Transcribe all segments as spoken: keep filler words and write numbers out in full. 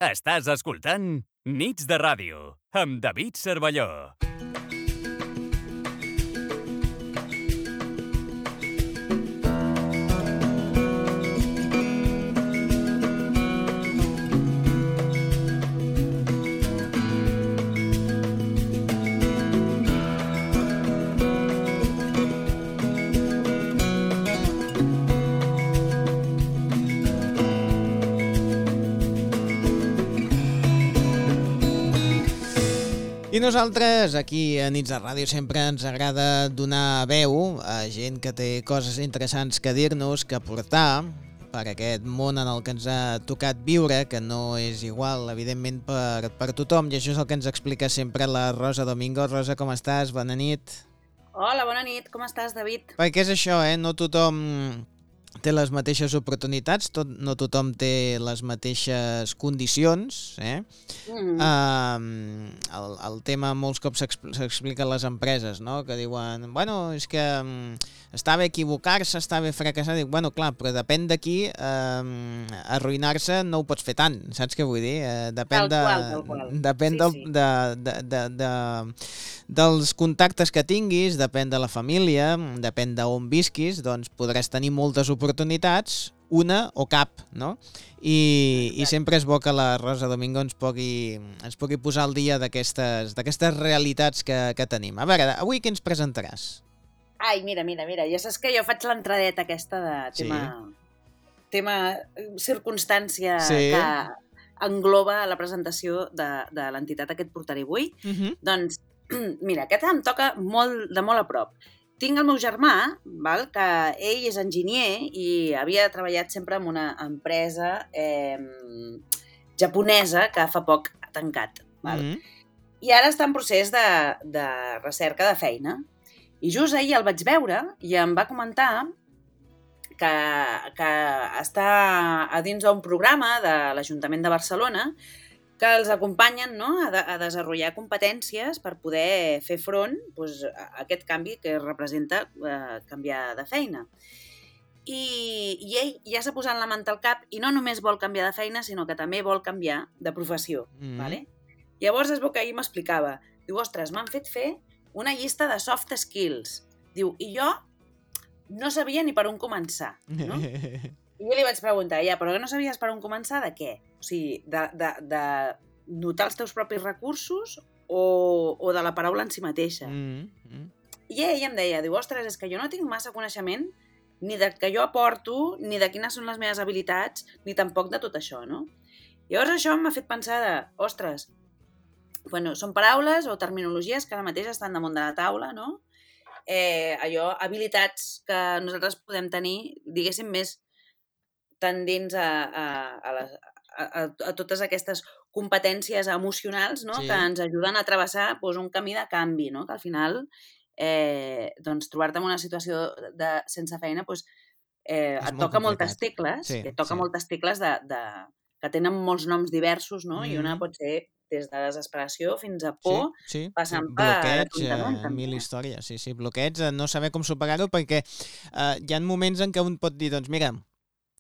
Estàs escoltant Nits de Ràdio amb David Cervelló. I nosaltres, aquí a Nits de Ràdio, sempre ens agrada donar veu a gent que té coses interessants que dir-nos, que portar per aquest món en el que ens ha tocat viure, que no és igual, evidentment, per, per tothom, i això és el que ens explica sempre la Rosa Domingo. Rosa, com estàs? Bona nit. Hola, bona nit. Com estàs, David? Perquè és això, eh? No tothom té les mateixes oportunitats, tot, no tothom té les mateixes condicions, eh? Mm. Uh, el, el tema molts cops s'explica a les empreses, no? Que diuen, bueno, és que um, està bé equivocar-se, està bé fracassar. Dic, bueno, clar, però depèn d'aquí, uh, arruïnar-se no ho pots fer tant, saps què vull dir? Uh, depèn de, tal qual, tal qual. Depèn sí, del, sí. de, de, de, de, dels contactes que tinguis, depèn de la família, depèn d'on visquis, doncs podràs tenir moltes oportunitats, una o cap, no? I, i sempre és bo que la Rosa Domingo ens pugui, ens pugui posar al dia d'aquestes d'aquestes realitats que, que tenim. A veure, avui què ens presentaràs? Ai, mira, mira, mira, ja saps que jo faig l'entradeta aquesta de tema, sí. tema circumstància sí. que engloba la presentació de, de l'entitat que et portaré avui. Uh-huh. Doncs, mira, aquest em toca molt, de molt a prop. Tinc el meu germà, val, que ell és enginyer i havia treballat sempre en una empresa eh, japonesa que fa poc ha tancat. Val? Mm-hmm. I ara està en procés de, de recerca de feina. I just ahir el vaig veure i em va comentar que, que està a dins d'un programa de l'Ajuntament de Barcelona que els acompanyen, no, a, de, a desenvolupar competències per poder fer front doncs, a aquest canvi que representa eh, canviar de feina. I, I ell ja s'ha posat la manta al cap i no només vol canviar de feina, sinó que també vol canviar de professió. Mm. Vale? Llavors es veu que ahir m'explicava. Diu, ostres, m'han fet fer una llista de soft skills. Diu, i jo no sabia ni per on començar. No? I jo li vaig preguntar, ja, però no sabies per on començar de què? O sigui, de, de, de notar els teus propis recursos o, o de la paraula en si mateixa? Mm -hmm. I ell em deia, diu, ostres, és que jo no tinc massa coneixement ni de que jo aporto, ni de quines són les meves habilitats, ni tampoc de tot això, no? Llavors això m'ha fet pensar de, ostres, bueno, són paraules o terminologies que ara mateix estan damunt de la taula, no? Eh, allò, habilitats que nosaltres podem tenir, diguéssim, més tendents a, a, a, les, a, a totes aquestes competències emocionals, no? Sí. Que ens ajuden a travessar doncs, un camí de canvi, no? Que al final eh, doncs, trobar-te en una situació de, sense feina doncs, eh, et toca complicat. moltes tecles, sí, et toca sí. moltes tecles de, de, que tenen molts noms diversos, no? Mm. I una pot ser des de desesperació fins a por, sí, sí, passant sí. per bloqueig, eh, mil històries, sí, sí, bloqueig, no saber com superar-ho, perquè eh, hi ha moments en què un pot dir, doncs mira,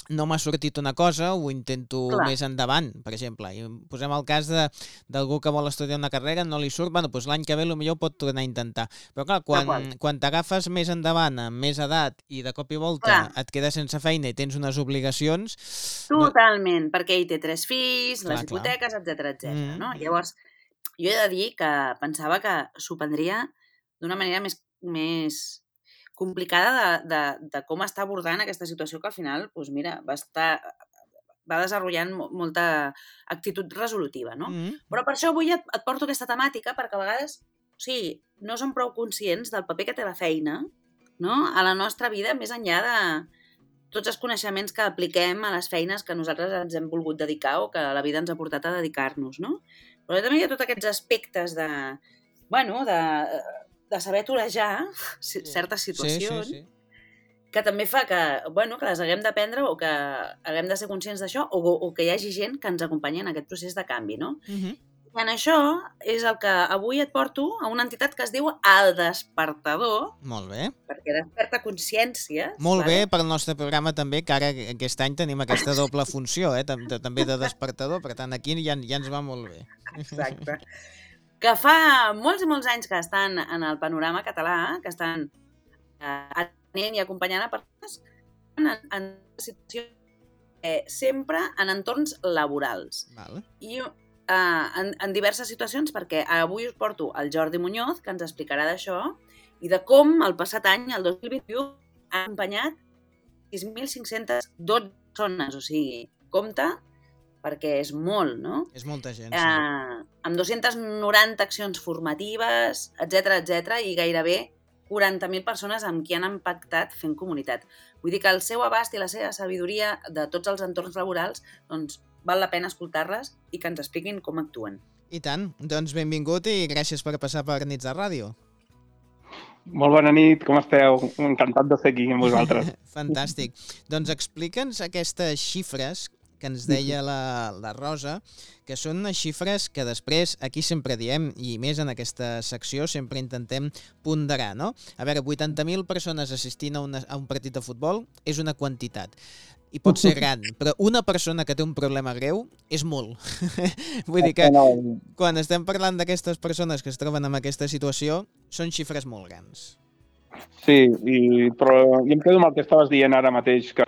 no m'ha sortit una cosa, ho intento Clar. més endavant, per exemple. I posem el cas d'algú que vol estudiar una carrera, no li surt, bueno, doncs l'any que ve potser ho pot tornar a intentar. Però clar, quan, quan t'agafes més endavant, amb més edat, i de cop i volta clar. et quedes sense feina i tens unes obligacions... Totalment, no... perquè ell té tres fills, clar, les hipoteques, etcètera, etcètera. Mm-hmm. No? Llavors, jo he de dir que pensava que s'ho prendria d'una manera més... més complicada de, de, de com està abordant aquesta situació que al final, doncs mira, va estar va desenvolupant molta actitud resolutiva, no? Mm-hmm. Però per això avui et, et porto aquesta temàtica perquè a vegades, o sigui, no som prou conscients del paper que té la feina, no? A la nostra vida, més enllà de tots els coneixements que apliquem a les feines que nosaltres ens hem volgut dedicar o que la vida ens ha portat a dedicar-nos, no? Però també hi ha tots aquests aspectes de, bueno, de... de saber torejar certes situacions, sí, sí, sí. que també fa que, bueno, que les haguem d'aprendre o que haguem de ser conscients d'això o, o que hi hagi gent que ens acompanyi en aquest procés de canvi, no? Uh-huh. I en això és el que avui et porto a una entitat que es diu El Despertador. Molt bé. Perquè desperta consciències. Molt vale? bé pel nostre programa també, que ara aquest any tenim aquesta doble funció, eh? també de despertador, per tant aquí ja, ja ens va molt bé. Exacte. Que fa molts i molts anys que estan en el panorama català, que estan eh, atenent i acompanyant a persones en, en situacions eh, sempre en entorns laborals. Vale. I eh, en, en diverses situacions, perquè avui us porto el Jordi Muñoz, que ens explicarà d'això, i de com el passat any, el dos mil vint-i-u, ha acompanyat sis mil cinc-centes dotze persones, o sigui, compte, perquè és molt, no? És molta gent, sí. Eh, amb dues-centes noranta accions formatives, etcètera, etcètera, i gairebé quaranta mil persones amb qui han impactat fent comunitat. Vull dir que el seu abast i la seva sabidoria de tots els entorns laborals, doncs, val la pena escoltar-les i que ens expliquin com actuen. I tant. Doncs benvingut i gràcies per passar per Nits de Ràdio. Molt bona nit, com esteu? Encantat de ser aquí amb vosaltres. Fantàstic. Doncs explica'ns aquestes xifres que ens deia la, la Rosa, que són unes xifres que després aquí sempre diem, i més en aquesta secció sempre intentem ponderar, no? A veure, vuitanta mil persones assistint a, una, a un partit de futbol és una quantitat. I pot ser gran, però una persona que té un problema greu és molt. Vull dir que quan estem parlant d'aquestes persones que es troben en aquesta situació, són xifres molt grans. Sí, i, però jo em quedo amb el que estaves dient ara mateix, que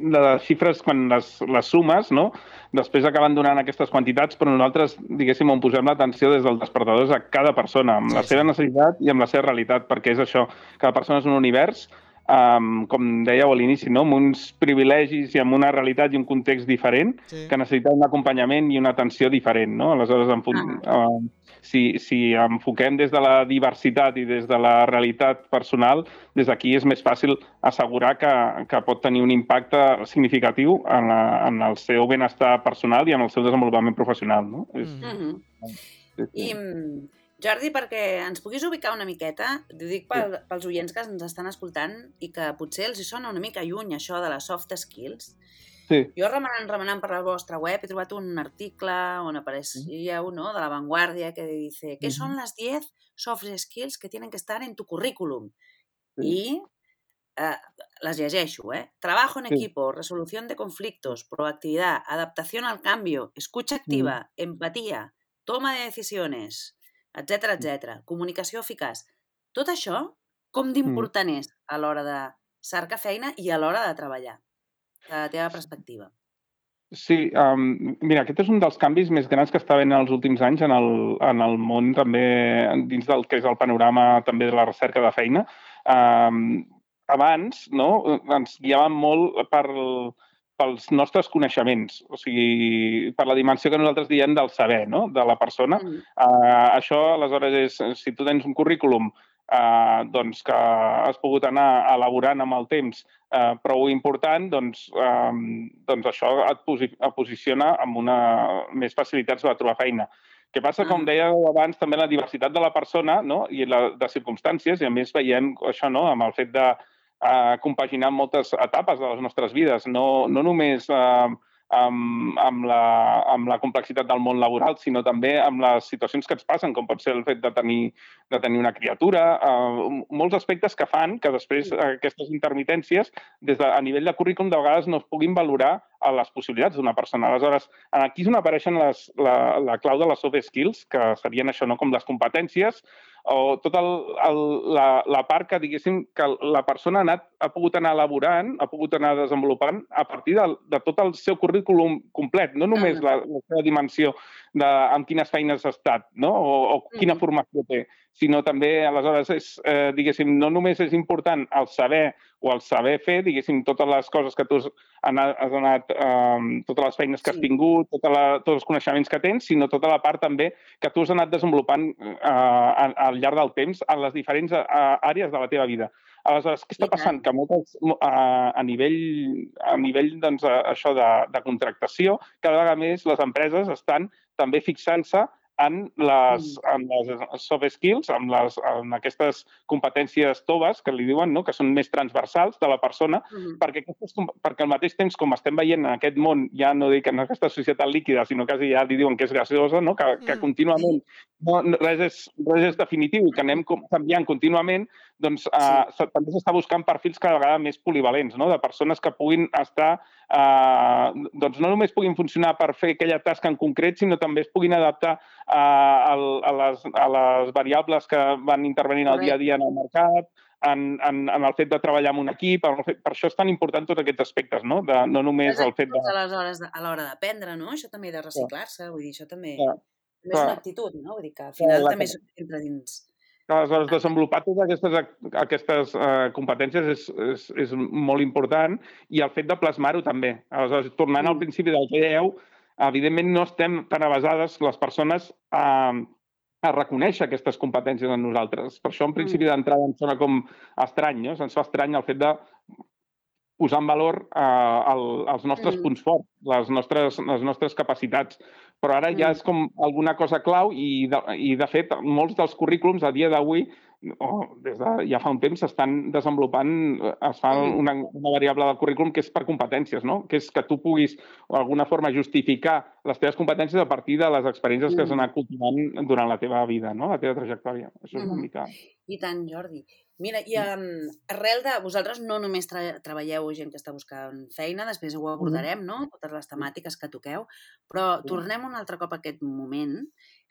les xifres, quan les, les sumes, no? Després acaben donant aquestes quantitats, però nosaltres, diguéssim, on posem l'atenció des del despertador és a cada persona, amb la seva necessitat i amb la seva realitat, perquè és això, cada persona és un univers, Um, com dèieu a l'inici, no? Amb uns privilegis i amb una realitat i un context diferent, sí, que necessita un acompanyament i una atenció diferent, no? Aleshores, en, uh, si, si enfoquem des de la diversitat i des de la realitat personal, des d'aquí és més fàcil assegurar que, que pot tenir un impacte significatiu en, la, en el seu benestar personal i en el seu desenvolupament professional, no? Mm-hmm. Sí, sí. I... Jordi, perquè ens puguis ubicar una miqueta, t'ho dic pel, pels oients que ens estan escoltant i que potser els hi sona una mica lluny això de les soft skills. Sí. Jo remenant, remenant per la vostra web he trobat un article on apareixia uno de La Vanguardia que dice ¿qué son las diez soft skills que tienen que estar en tu currículum? Sí. I eh, les llegeixo, ¿eh? Trabajo en sí. equipo, resolución de conflictos, proactividad, adaptación al cambio, escucha activa, mm. empatía, toma de decisiones, etcètera, etcètera. Comunicació eficaç. Tot això, com d'important mm. és a l'hora de cercar feina i a l'hora de treballar, de la teva perspectiva? Sí, um, mira, aquest és un dels canvis més grans que està havent en els últims anys en el, en el món, també dins del que és el panorama també de la recerca de feina. Um, abans, no?, ens guiàvem molt per pels nostres coneixements, o sigui, per la dimensió que nosaltres diem del saber, no?, de la persona. Mm. Uh, això, aleshores, és, si tu tens un currículum uh, doncs que has pogut anar elaborant amb el temps uh, prou important, doncs, um, doncs això et, posi et posiciona amb una més facilitats de trobar feina. Què passa, com deia abans, també la diversitat de la persona, no?, i la, de circumstàncies, i a més veiem això, no?, amb el fet de a compaginar moltes etapes de les nostres vides, no, no només eh, amb, amb, la, amb la complexitat del món laboral, sinó també amb les situacions que ens passen, com pot ser el fet de tenir, de tenir una criatura, eh, molts aspectes que fan que després aquestes intermitències, des de, a nivell de currículum, de vegades no es puguin valorar a les possibilitats d'una persona. Aleshores, aquí és on apareixen les, la, la clau de les soft skills, que serien això, no?, com les competències, o tota la, la part que, diguéssim, que la persona ha, anat, ha pogut anar elaborant, ha pogut anar desenvolupant a partir de, de tot el seu currículum complet, no només la, la seva dimensió de amb quines feines ha estat, no?, o, o quina formació té, sinó també, aleshores, és, eh, diguéssim, no només és important el saber o el saber fer, diguéssim, totes les coses que tu has anat, has anat eh, totes les feines que has tingut, tota la, tots els coneixements que tens, sinó tota la part també que tu has anat desenvolupant eh, al llarg del temps en les diferents eh, àrees de la teva vida. Aleshores, què està passant? Que moltes, a, a nivell, a nivell doncs, això de, de contractació, cada vegada més les empreses estan també fixant-se en les, en les soft skills, en, les, en aquestes competències toves, que li diuen, no? Que són més transversals de la persona, mm-hmm. perquè, aquestes, perquè al mateix temps, com estem veient en aquest món, ja no dic en aquesta societat líquida, sinó quasi ja li diuen que és gaseosa, no? que, que contínuament no, res, és, res és definitiu i que anem canviant contínuament, doncs eh, sí. també s'està buscant perfils cada vegada més polivalents, no? De persones que puguin estar, eh, doncs no només puguin funcionar per fer aquella tasca en concret, sinó també es puguin adaptar eh, a, a, les, a les variables que van intervenint al dia a dia en el mercat, en, en, en el fet de treballar en un equip, fet, per això és tan important tots aquests aspectes, no? De, no només el fet de... Aleshores, a l'hora d'aprendre, no? Això també de reciclar-se, vull dir, això també... Ja. També és una actitud, no? Vull dir que al final ja, també entra dins... Aleshores, desenvolupar totes aquestes, aquestes uh, competències és, és, és molt important i el fet de plasmar-ho també. Aleshores, tornant mm. al principi del que dèieu, evidentment no estem tan avasades les persones a, a reconèixer aquestes competències en nosaltres. Per això, en principi d'entrada, em sona com estrany, no? Se'ns fa estrany el fet de posar en valor uh, el, els nostres mm. punts forts, les nostres, les nostres capacitats. Però ara ja és com alguna cosa clau i, de, i de fet, molts dels currículums a dia d'avui, oh, des de ja fa un temps, s'estan desenvolupant, es fa una, una variable del currículum que és per competències, no? Que és que tu puguis, d'alguna forma, justificar les teves competències a partir de les experiències que has anat cultivant durant la teva vida, no? La teva trajectòria. Això és una mica... I tant, Jordi. Mira, i um, arrel de... Vosaltres no només tra treballeu gent que està buscant feina, després ho abordarem, no? Totes les temàtiques que toqueu, però tornem un altre cop a aquest moment.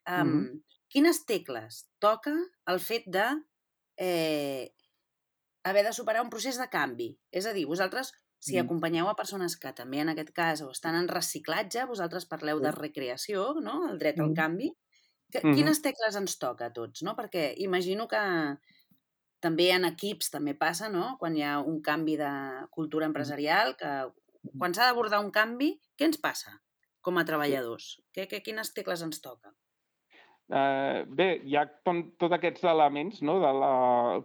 Um, mm-hmm. Quines tecles toca el fet de eh, haver de superar un procés de canvi? És a dir, vosaltres, si mm. acompanyeu a persones que també en aquest cas o estan en reciclatge, vosaltres parleu mm. de recreació, no? El dret al canvi. Que, mm-hmm. Quines tecles ens toca a tots, no? Perquè imagino que també en equips també passa, no? Quan hi ha un canvi de cultura empresarial, que quan s'ha d'abordar un canvi, què ens passa com a treballadors? Que, que, quines tecles ens toca? Uh, bé, hi ha tots aquests elements, no? De la...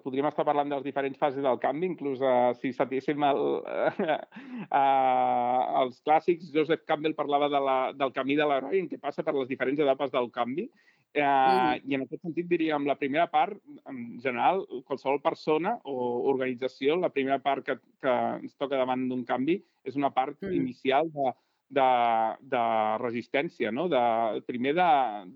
podríem estar parlant de les diferents fases del canvi, inclús uh, si sapiguéssim el, uh, uh, els clàssics, Joseph Campbell parlava de la, del camí de l'heroi, en què passa per les diferents etapes del canvi, uh, mm. i en aquest sentit diríem la primera part, en general, qualsevol persona o organització, la primera part que, que ens toca davant d'un canvi és una part mm. inicial de De, de resistència, no? De, primer, de,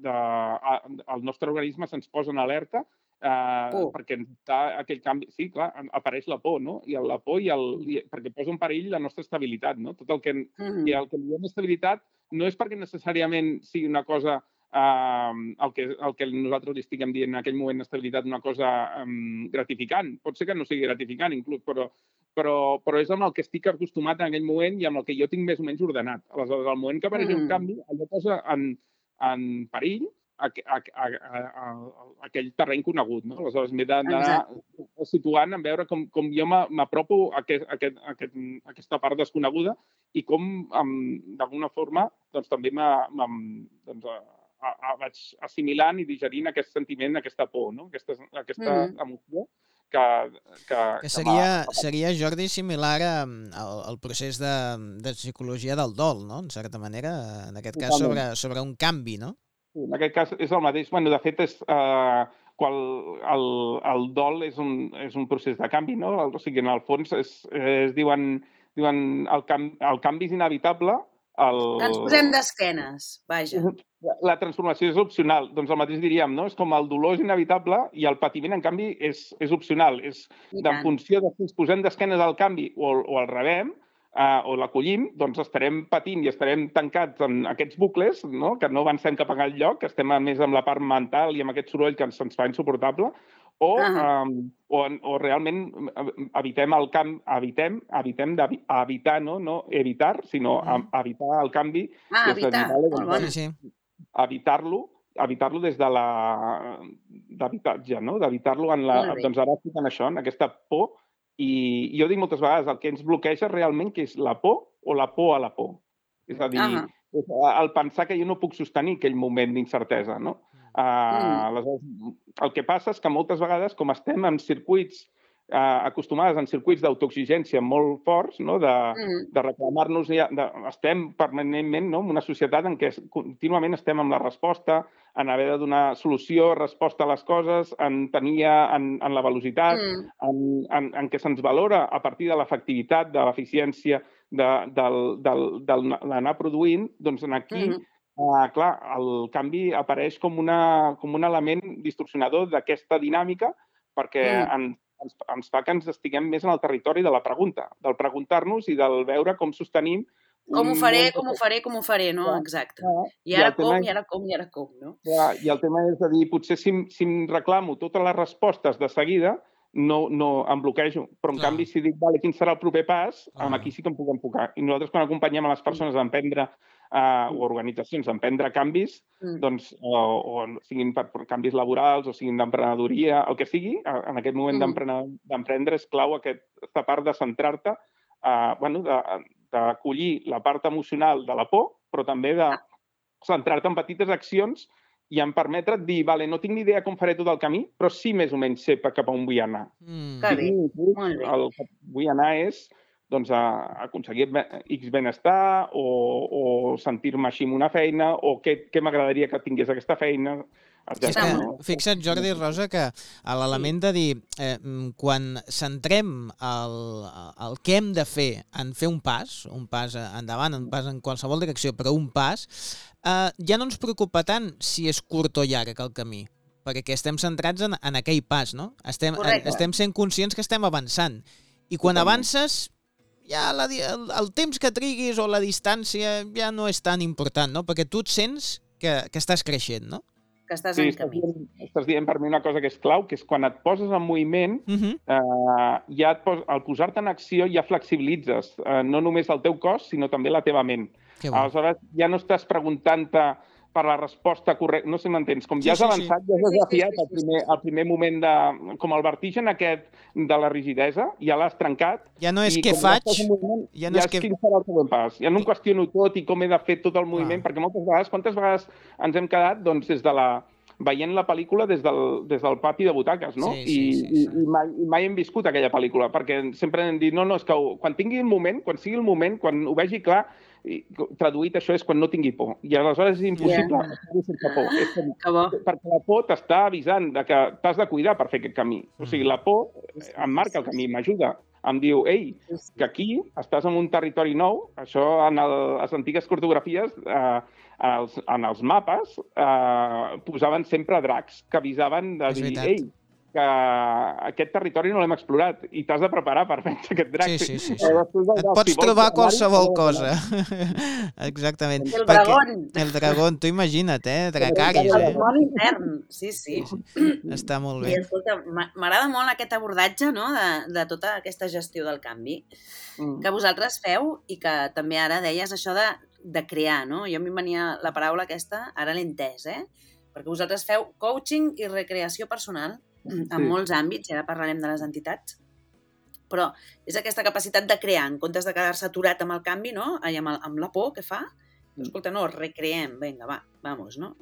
de, a, el nostre organisme se'ns posa en alerta eh, oh. perquè està aquell canvi... Sí, clar, apareix la por, no? I la por i el, i, perquè posa en perill la nostra estabilitat, no? Tot el que, mm-hmm. i el que diem estabilitat no és perquè necessàriament sigui una cosa... Uh, el, que, el que nosaltres li estiguem dient en aquell moment estabilitat una cosa um, gratificant. Pot ser que no sigui gratificant, inclús, però, però, però és amb el que estic acostumat en aquell moment i amb el que jo tinc més o menys ordenat. Aleshores, al moment que apareix mm. un canvi, allò posa en, en perill a, a, a, a, a, a aquell terreny conegut. No? Aleshores, m'he d'anar situant en veure com, com jo m'apropo a, aquest, a, aquest, a, aquest, a aquesta part desconeguda i com, d'alguna forma, doncs, també m'ha... Doncs, A, a, vaig assimilant i digerint aquest sentiment, aquesta por, no? aquesta, aquesta mm. emoció que... Que, que seria, que seria, Jordi, similar al, al procés de, de psicologia del dol, no? En certa manera, en aquest cas sobre, sobre un canvi, no? Sí, en aquest cas és el mateix. Bueno, de fet, és, eh, qual, el, el dol és un, és un procés de canvi, no? O sigui, en el fons es, es diuen, diuen el, canvi, el canvi és inevitable. El... Ens posem d'esquenes, vaja. La transformació és opcional. Doncs el mateix diríem, no? És com el dolor és inevitable i el patiment, en canvi, és, és opcional. És en funció de si ens posem d'esquenes al canvi o, o el rebem eh, o l'acollim, doncs estarem patint i estarem tancats en aquests bucles, no? Que no avancem cap a lloc, que estem més amb la part mental i amb aquest soroll que se'ns fa insuportable, o, uh-huh. um, o, o realment evitem el canvi, evitem, evitem d'evitar, no? No evitar, sinó uh-huh. evitar el canvi. Ah, evitar, molt bona. Sí, sí. Evitar-lo, evitar-lo des de la d'habitatge, no? D'evitar-lo en la... Doncs ara estic en això, en aquesta por, i jo dic moltes vegades, el que ens bloqueja realment que és la por o la por a la por. És a dir, uh-huh. el pensar que jo no puc sostenir aquell moment d'incertesa, no? Uh, mm. Aleshores, el que passa és que moltes vegades, com estem en circuits eh, acostumades en circuits d'autoexigència molt forts, no? de, Mm. de reclamar-nos... De, estem permanentment, no? en una societat en què contínuament estem amb la resposta, en haver de donar solució, resposta a les coses, en tenir en, en la velocitat, Mm. en, en, en què se'ns valora a partir de l'efectivitat, de l'eficiència, de, del, del, del, d'anar produint, doncs en aquí... Mm. Uh, clar, el canvi apareix com, una, com un element distorsionador d'aquesta dinàmica perquè Mm. en, ens, ens fa que ens estiguem més en el territori de la pregunta, del preguntar-nos i del veure com sostenim... Com ho un faré, món com ho de- faré, com ho faré, no? Clar, Exacte. clar. I I ara el tema com, és- i ara com, i ara com, no? Clar, I el tema és de dir, potser si, em- si em reclamo totes les respostes de seguida, no, no em bloquejo. Però, en Clar. canvi, si dic, vale, quin serà el proper pas, Clar. amb aquí sí que em puc enfocar. I nosaltres, quan acompanyem a les persones a emprendre, eh, o organitzacions a emprendre canvis, Mm. doncs, o, o siguin per, per canvis laborals o siguin d'emprenedoria, el que sigui, a- en aquest moment Mm. d'emprene- d'emprendre és clau aquesta part de centrar-te, eh, bueno, de, d'acollir la part emocional de la por, però també de centrar-te en petites accions i em permetre't dir, vale, no tinc ni idea com faré tot el camí, però sí més o menys sé cap a on vull anar. Mm. Que bé, Sí, molt bé. el que vull anar és doncs, a, a aconseguir be- X benestar o, o sentir-me així amb una feina o què, què m'agradaria que tingués aquesta feina, És etcètera. que, no? fixa't, Jordi i Rosa, que a l'element de dir, eh, mm, quan centrem el, el què hem de fer en fer un pas, un pas endavant, un pas en qualsevol direcció, però un pas, eh, ja no ens preocupa tant si és curt o llarg el camí, perquè estem centrats en, en aquell pas, no? Estem, Correcte. estem sent conscients que estem avançant. I quan Totalment. avances, ja la, di- el, el temps que triguis o la distància ja no és tan important, no? Perquè tu et sents que, que estàs creixent, no? Que estàs Sí, en estàs camí. dient, estàs dient per mi una cosa que és clau, que és quan et poses en moviment, Uh -huh. eh, ja et pos, al posar-te en acció ja flexibilitzes eh, no només el teu cos, sinó també la teva ment. Que bo. Aleshores, ja no estàs preguntant-te per la resposta correcta, no sé si m'entens, com Sí, ja has sí, sí. avançat, ja has Sí, sí, sí, desafiat sí, el sí, primer, sí. el primer moment de... com el vertigen aquest de la rigidesa, ja l'has trencat. Ja no és i què com ja faig, estàs en moviment, ja no ja és què... quin serà el següent pas. Ja no em qüestiono tot i com he de fer tot el moviment, Clar. perquè moltes vegades, quantes vegades ens hem quedat doncs, des de la veient la pel·lícula des del, des del pati de butaques, no? Sí, sí, I, sí, sí. i, i, mai, i mai hem viscut aquella pel·lícula, perquè sempre hem dit, no, no, és que ho, quan tingui el moment, quan sigui el moment, quan ho vegi clar, i, traduït això és quan no tingui por. I aleshores és impossible Yeah. estar sense por. És com, Que bo. perquè la por t'està avisant de que t'has de cuidar per fer aquest camí. O sigui, la por em marca el camí, m'ajuda. Em diu, ei, que aquí estàs en un territori nou, això en el, les antigues cartografies, eh, els, en els mapes, eh, posaven sempre dracs que avisaven de És dir, veritat. ei, que aquest territori no l'hem explorat i t'has de preparar per vèncer aquest drac. Sí, sí, sí, sí. Eh, després del Et drac, pots si vols trobar anar-hi, qualsevol has de cosa. Exactament. El Perquè- dragón. El dragón, tu imagina't, eh? Dracaris, El eh? món intern. Sí, sí. Està molt I bé. escolta, m'a- m'agrada molt aquest abordatge, no?, de, de tota aquesta gestió del canvi Mm. que vosaltres feu i que també ara deies això de, de crear, no? Jo a mi em venia la paraula aquesta, ara l'he entès, eh? Perquè vosaltres feu coaching i recreació personal en Sí. molts àmbits, i ara parlarem de les entitats, però és aquesta capacitat de crear, en comptes de quedar-se aturat amb el canvi, no?, i amb, el, amb la por que fa, escolta, no, recreem, vinga, va, vamos, no?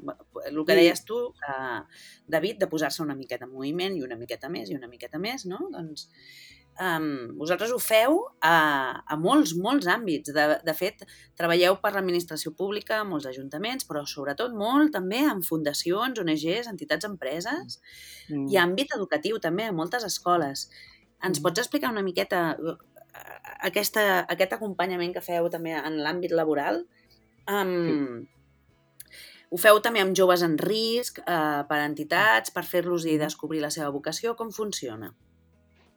El que Sí. deies tu, eh, David, de posar-se una miqueta en moviment i una miqueta més i una miqueta més, no? Doncs um, vosaltres ho feu a, a molts, molts àmbits. De, de fet, treballeu per l'administració pública, molts ajuntaments, però sobretot molt també en fundacions, O N Ges, entitats, empreses, Mm. i àmbit educatiu també, a moltes escoles. Ens Mm. pots explicar una miqueta eh, aquesta, aquest acompanyament que feu també en l'àmbit laboral? Um, Ho feu també amb joves en risc, eh, per entitats, per fer-los i descobrir la seva vocació? Com funciona?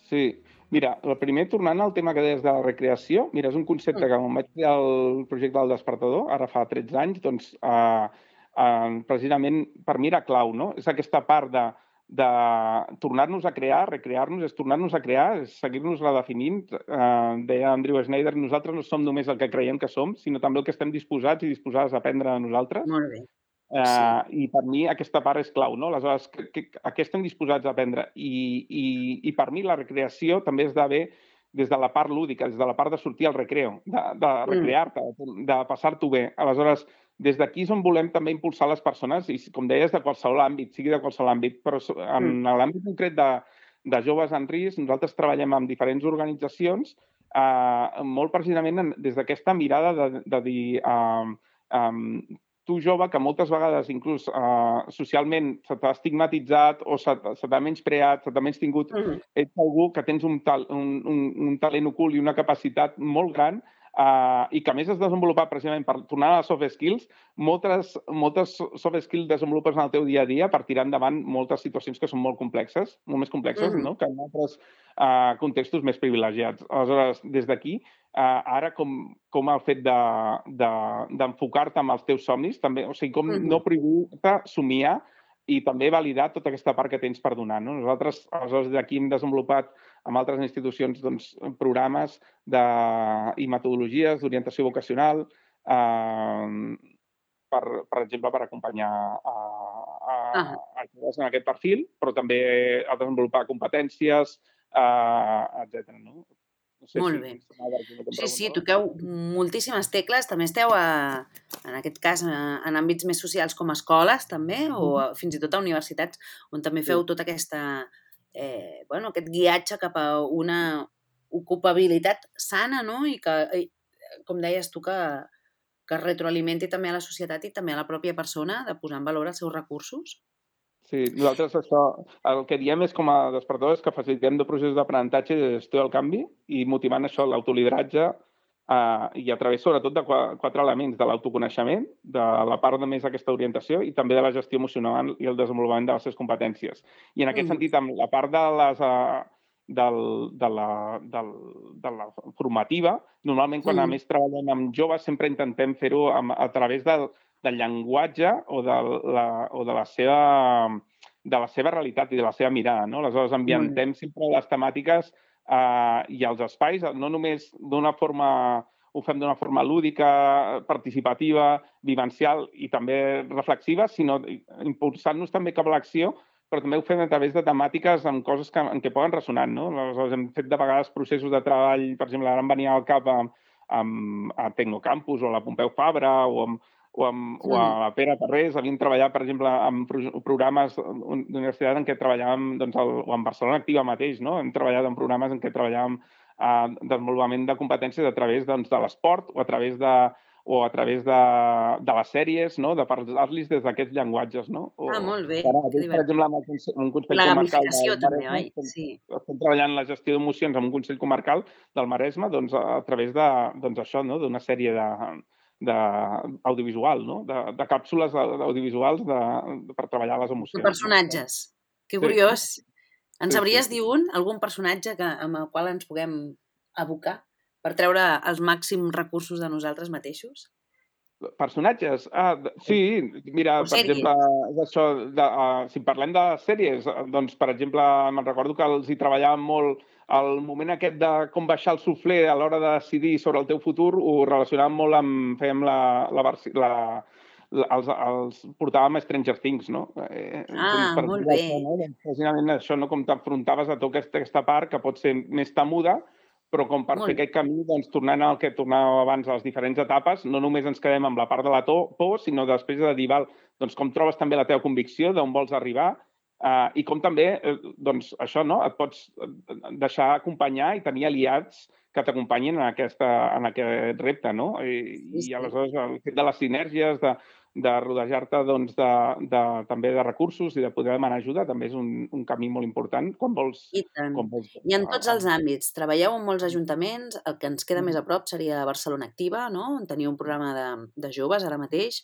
Sí. Mira, el primer, tornant al tema que deies de la recreació, mira, és un concepte que quan vaig fer el projecte del Despertador, ara fa tretze anys, doncs eh, eh, precisament per mi era clau, no? És aquesta part de, de tornar-nos a crear, recrear-nos, és tornar-nos a crear, és seguir-nos redefinint. Eh, deia Andrew Snyder, nosaltres no som només el que creiem que som, sinó també el que estem disposats i disposades a aprendre de nosaltres. Molt bé. Uh, Sí. I per mi aquesta part és clau, no? Aleshores, que, que, a què estem disposats a aprendre? I, i, I per mi la recreació també és d'haver des de la part lúdica, des de la part de sortir al recreo, de, de recrear-te, de, de passar-t'ho bé. Aleshores, des d'aquí és on volem també impulsar les persones, i com deies, de qualsevol àmbit, sigui de qualsevol àmbit, però en Mm. l'àmbit concret de, de joves en risc, nosaltres treballem amb diferents organitzacions, eh, molt precisament des d'aquesta mirada de, de dir... Eh, eh, tu jove, que moltes vegades inclús eh, socialment se t'ha estigmatitzat o se, se t'ha menyspreat, se t'ha menys tingut, mm. ets algú que tens un, tal, un, un, un talent ocult i una capacitat molt gran eh, i que a més has desenvolupat precisament per tornar a les soft skills, moltes, moltes soft skills desenvolupes en el teu dia a dia per tirar endavant moltes situacions que són molt complexes, molt més complexes, mm. no? Que en altres eh, contextos més privilegiats. Aleshores, des d'aquí, Uh, ara com, com el fet d'enfocar-te de, amb els teus somnis, també, o sigui, com mm-hmm. no prohibir-te somiar i també validar tota aquesta part que tens per donar. No? Nosaltres, aleshores, d'aquí hem desenvolupat amb altres institucions doncs, programes de, i metodologies d'orientació vocacional, uh, per, per exemple, per acompanyar a, a, ah. a joves en aquest perfil, però també a desenvolupar competències, uh, etcètera. No? No sé Molt si bé. Sí, sí, toqueu moltíssimes tecles. També esteu, a, en aquest cas, en àmbits més socials com escoles, també, o fins i tot a universitats, on també feu tota aquesta, eh, bueno, aquest guiatge cap a una ocupabilitat sana, no? I que, com deies tu, que, que retroalimenti també a la societat i també a la pròpia persona de posar en valor els seus recursos. Sí, nosaltres això, el que diem és com a despertadors que facilitem de processos d'aprenentatge i de gestió del canvi i motivant això, l'autolideratge eh, i a través sobretot de quatre elements, de l'autoconeixement, de la part de més aquesta orientació i també de la gestió emocional i el desenvolupament de les seves competències. I en aquest mm. sentit, amb la part de les... Eh, del, de, la, del, de la formativa, normalment quan mm. a més treballem amb joves sempre intentem fer-ho a través del del llenguatge o de la, o de la seva de la seva realitat i de la seva mirada, no? Aleshores, ambientem sempre les temàtiques eh, i els espais, no només d'una forma, ho fem d'una forma lúdica, participativa, vivencial i també reflexiva, sinó impulsant-nos també cap a l'acció, però també ho fem a través de temàtiques amb coses que, en què poden ressonar, no? Aleshores, hem fet de vegades processos de treball, per exemple, ara em venia al cap a, a, a Tecnocampus o a la Pompeu Fabra o amb o, amb, o a la Pere Tarrés, havíem treballat, per exemple, en programes d'universitat en què treballàvem, doncs, el, o en Barcelona Activa mateix, no? Hem treballat en programes en què treballàvem eh, desenvolupament de competències a través doncs, de l'esport o a través de o a través de, de les sèries, no? De parlar-los des d'aquests llenguatges, no? O, ah, molt bé. Ara, per exemple, amb un consell la comarcal del també, oi? Estem, sí. estem treballant la gestió d'emocions amb un consell comarcal del Maresme, doncs, a través de, doncs, això, no? D'una sèrie de d'audiovisual, no? De, de càpsules audiovisuals de, de, per treballar les emocions. De personatges. No? Que curiós. Sí. Ens sí, sabries sí. dir un, algun personatge que, amb el qual ens puguem abocar per treure els màxims recursos de nosaltres mateixos? Personatges? Ah, sí, mira, o per sèries. exemple, això, de, uh, si parlem de sèries, doncs, per exemple, me'n recordo que els hi treballàvem molt el moment aquest de com baixar el suflé a l'hora de decidir sobre el teu futur, ho relacionàvem molt amb, fèiem la, la, la, la els, els portàvem a Stranger Things, no? Eh, ah, per molt bé. Això, no? Doncs, precisament això, no? Com t'afrontaves a tota aquesta, aquesta part que pot ser més temuda, però com per molt fer aquest camí, doncs, tornant al que tornàvem abans a les diferents etapes, no només ens quedem amb la part de la por, sinó després de dir, val, doncs, com trobes també la teva convicció, d'on vols arribar, Uh, i com també, eh, doncs, això, no? Et pots deixar acompanyar i tenir aliats que t'acompanyin en, aquesta, en aquest repte, no? I, sí, sí. I aleshores el fet de les sinergies, de, de rodejar-te doncs, de, de, també de recursos i de poder demanar ajuda també és un, un camí molt important quan vols... I tant. Quan vols... I en tots els àmbits. Treballeu en molts ajuntaments, el que ens queda més a prop seria Barcelona Activa, no? On teniu un programa de, de joves ara mateix.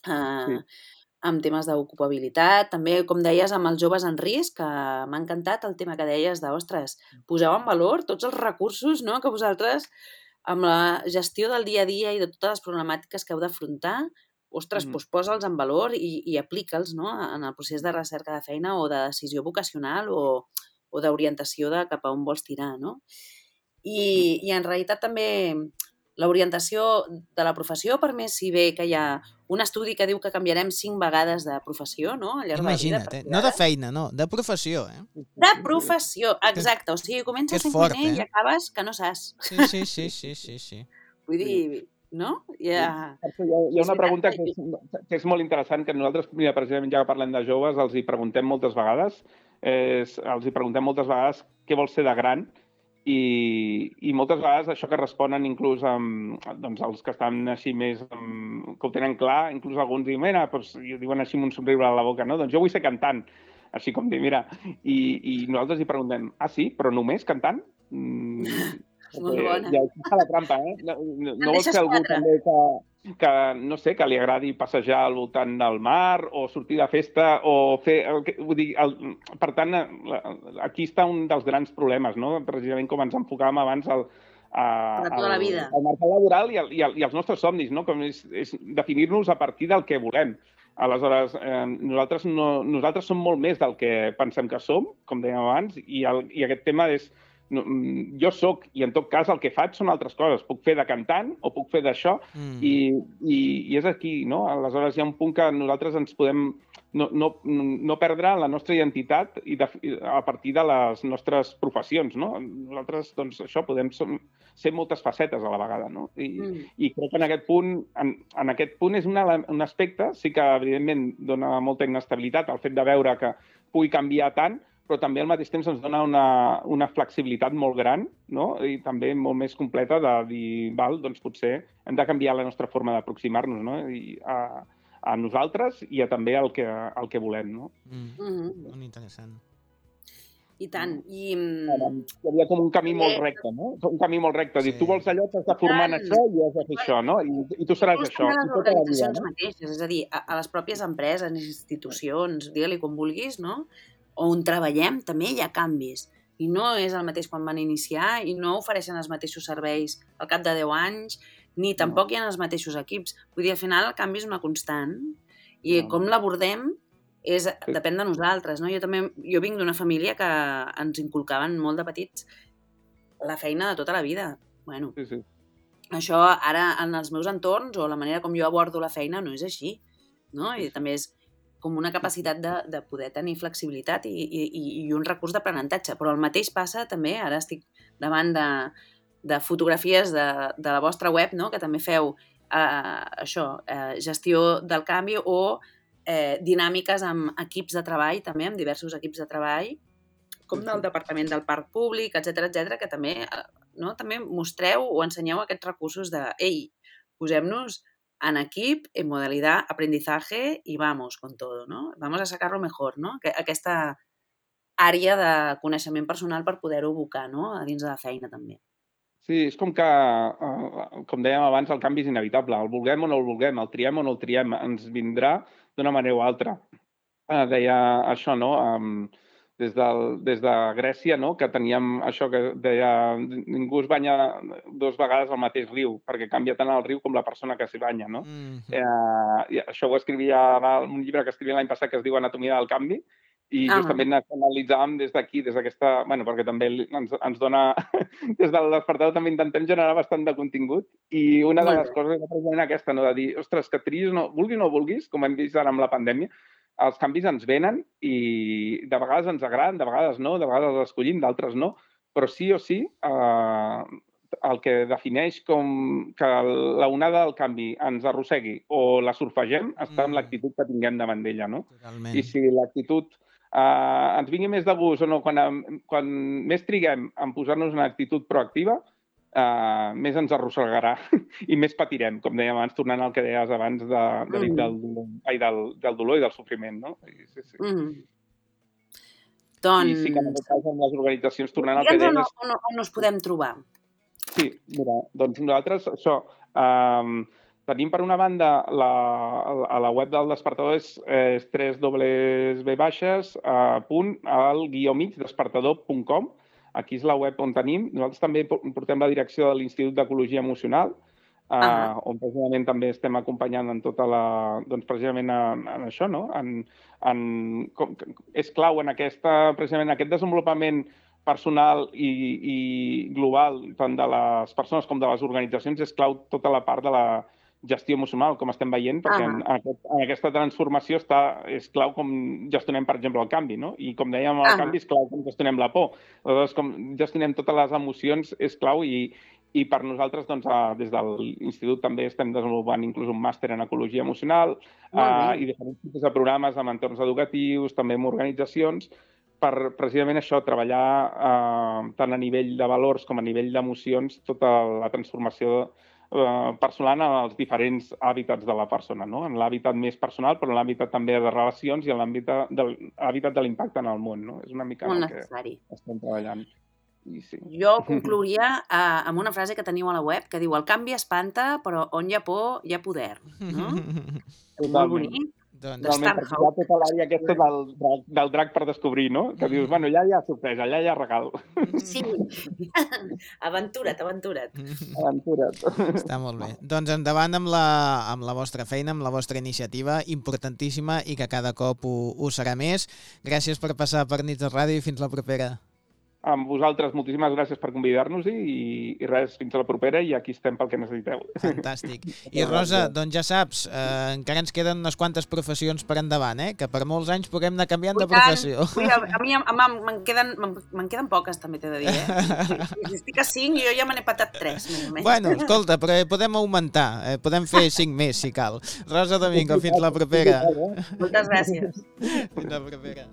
Uh, sí. Amb temes d'ocupabilitat, també, com deies, amb els joves en risc, que m'ha encantat el tema que deies de, ostres, poseu en valor tots els recursos, no?, que vosaltres, amb la gestió del dia a dia i de totes les problemàtiques que heu d'afrontar, ostres, mm. doncs posa'ls en valor i, i aplica'ls, no?, en el procés de recerca de feina o de decisió vocacional o, o d'orientació de cap a on vols tirar, no? I, i en realitat també l'orientació de la professió, per més si bé que hi ha un estudi que diu que canviarem cinc vegades de professió, no? Al llarg Imagina't, de la vida, eh? No de feina, no, de professió, eh? De professió, exacte. O sigui, comences sent fort, cuiner eh? i acabes que no saps. Sí, sí, sí, sí, sí, sí. Vull dir, no? Ja... Hi ha, hi ha una pregunta que és, que és molt interessant, que nosaltres, mira, precisament ja que parlem de joves, els hi preguntem moltes vegades, és, els hi preguntem moltes vegades què vol ser de gran i, i moltes vegades això que responen inclús amb, doncs, els que estan així més, amb, que ho tenen clar, inclús alguns diuen, mira, doncs, i ho diuen així amb un somriure a la boca, no? Doncs jo vull ser cantant, així com dir, mira, i, i nosaltres hi preguntem, ah, sí, però només cantant? Mm, Molt bona. Ja està la trampa, eh? No, no, no vols ser algú també que, que, no sé, que li agradi passejar al voltant del mar o sortir de festa o fer... Vull dir, el, per tant, aquí està un dels grans problemes, no? Precisament com ens enfocàvem abans al, a, de tota la vida. al mercat laboral i, el, i, el, i els nostres somnis, no? Com és, és definir-nos a partir del que volem. Aleshores, eh, nosaltres, no, nosaltres som molt més del que pensem que som, com dèiem abans, i, el, i aquest tema és... No, jo sóc, i en tot cas el que faig són altres coses. Puc fer de cantant o puc fer d'això mm. i, i, i és aquí, no? Aleshores hi ha un punt que nosaltres ens podem no, no, no perdre la nostra identitat i de, a partir de les nostres professions, no? Nosaltres, doncs, això, podem som, ser moltes facetes a la vegada, no? I, mm. i crec que en aquest punt, en, en aquest punt és una, un aspecte, sí que evidentment dona molta inestabilitat el fet de veure que pugui canviar tant, però també al mateix temps ens dona una, una flexibilitat molt gran, no? I també molt més completa de dir, val, doncs potser hem de canviar la nostra forma d'aproximar-nos, no? I a, a nosaltres i a també al que, al que volem, no? Mm. Mm-hmm. Molt interessant. I tant. I... Hi havia com un camí molt recte, no? Un camí molt recte. Sí. Dir, tu vols allò, t'has de formar en això i has de fer això, no? I, i tu seràs això. Les organitzacions mateixes, és a dir, a, a les pròpies empreses, institucions, digue-li com vulguis, no? On treballem també hi ha canvis. I no és el mateix quan van iniciar i no ofereixen els mateixos serveis al cap de deu anys, ni tampoc hi ha els mateixos equips. Vull dir, al final el canvi és una constant i no. com l'abordem és, depèn de nosaltres. No? Jo també jo vinc d'una família que ens inculcaven molt de petits la feina de tota la vida. Bueno, sí, sí. Això ara en els meus entorns o la manera com jo abordo la feina no és així. No? I també és com una capacitat de, de poder tenir flexibilitat i, i, i un recurs d'aprenentatge. Però el mateix passa també, ara estic davant de, de fotografies de, de la vostra web, no? Que també feu eh, això, eh, gestió del canvi o eh, dinàmiques amb equips de treball, també amb diversos equips de treball, com del Departament del Parc Públic, etcètera, etcètera, que també, no? També mostreu o ensenyeu aquests recursos de, ei, posem-nos en equip, en modalidad aprendizaje y vamos con todo, ¿no? Vamos a sacar-lo mejor, no? Aquesta àrea de coneixement personal per poder-ho abocar, no? A dins de la feina, també. Sí, és com que, com dèiem abans, el canvi és inevitable. El vulguem o no el vulguem, el triem o no el triem, ens vindrà d'una manera o altra. Deia això, no? Des, del, des de Grècia, no? Que teníem això que deia ningú es banya dues vegades al mateix riu, perquè canvia tant el riu com la persona que s'hi banya, no? Mm-hmm. eh, això ho escrivia en un llibre que escrivia l'any passat que es diu Anatomia del canvi, i ah. justament analitzàvem des d'aquí, des d'aquesta... Bueno, perquè també ens, ens dona... Des del despertador també intentem generar bastant de contingut, i una de les coses és precisament aquesta, no? De dir, ostres, que triïs, no, vulguis o no vulguis, com hem vist ara amb la pandèmia, els canvis ens venen i de vegades ens agraden, de vegades no, de vegades els escollim, d'altres no, però sí o sí eh, el que defineix com que la onada del canvi ens arrossegui o la surfegem està en l'actitud que tinguem davant d'ella, no? Totalment. I si l'actitud eh, ens vingui més de gust o no, quan, quan més triguem en posar-nos una actitud proactiva, Uh, més ens arrossegarà i més patirem, com dèiem abans, tornant al que deies abans de, de, mm. del, ai, del, del dolor i del sofriment, no? Sí, sí. Mm. Doncs... I sí que en aquest cas amb les organitzacions tornant al que dèiem... On, on, on us podem trobar? Sí, mira, doncs nosaltres, això, um, tenim per una banda la, a la web del Despertador és, és tres baixes punt al guió mig despertador punt com. Aquí és la web on tenim. Nosaltres també portem la direcció de l'Institut d'Ecologia Emocional, uh -huh. on precisament també estem acompanyant en tota la... Doncs precisament en, en això, no? En, en, com, és clau en aquesta, precisament aquest desenvolupament personal i, i global, tant de les persones com de les organitzacions, és clau tota la part de la gestió emocional, com estem veient, perquè uh -huh. en, aquest, en aquesta transformació està, és clau com gestionem, per exemple, el canvi, no? I com dèiem, el uh -huh. canvi és clau com gestionem la por. Aleshores, com gestionem totes les emocions és clau i, i per nosaltres, doncs, des de l'Institut també estem desenvolupant inclús un màster en ecologia emocional uh, i diferents tipus de programes amb entorns educatius, també amb organitzacions, per precisament això, treballar eh, tant a nivell de valors com a nivell d'emocions tota la transformació eh, personal en els diferents hàbitats de la persona, no? En l'hàbitat més personal, però en l'hàbitat també de relacions i en l'hàbitat de, de l'impacte en el món, no? És una mica Molt el que necessari. estem treballant. I sí. Jo conclouria eh, amb una frase que teniu a la web que diu: el canvi espanta, però on hi ha por, hi ha poder. No? Molt bonic. Doncs... Realment, perquè hi ha tota l'àrea aquesta del, del, del drac per descobrir, no? Que dius, bueno, allà hi ha sorpresa, allà hi ha regal. Sí. Aventura't, aventura't. Aventura't. Està molt bé. Doncs endavant amb la, amb la vostra feina, amb la vostra iniciativa, importantíssima i que cada cop ho, ho serà més. Gràcies per passar per Nits de Ràdio i fins la propera. Amb vosaltres, moltíssimes gràcies per convidar-nos-hi i, i res, fins a la propera i aquí estem pel que necessiteu. Fantàstic. I Rosa, doncs ja saps, eh, encara ens queden unes quantes professions per endavant, eh? Que per molts anys puguem anar canviant de professió. Ui, a, a mi me'n queden, me'n queden poques, també t'he de dir, eh? Si estic a cinc, jo ja me n'he patat tres. Bueno, escolta, però podem augmentar, eh? Podem fer cinc més, si cal. Rosa Domingo, fins la propera. Moltes gràcies. Fins la propera.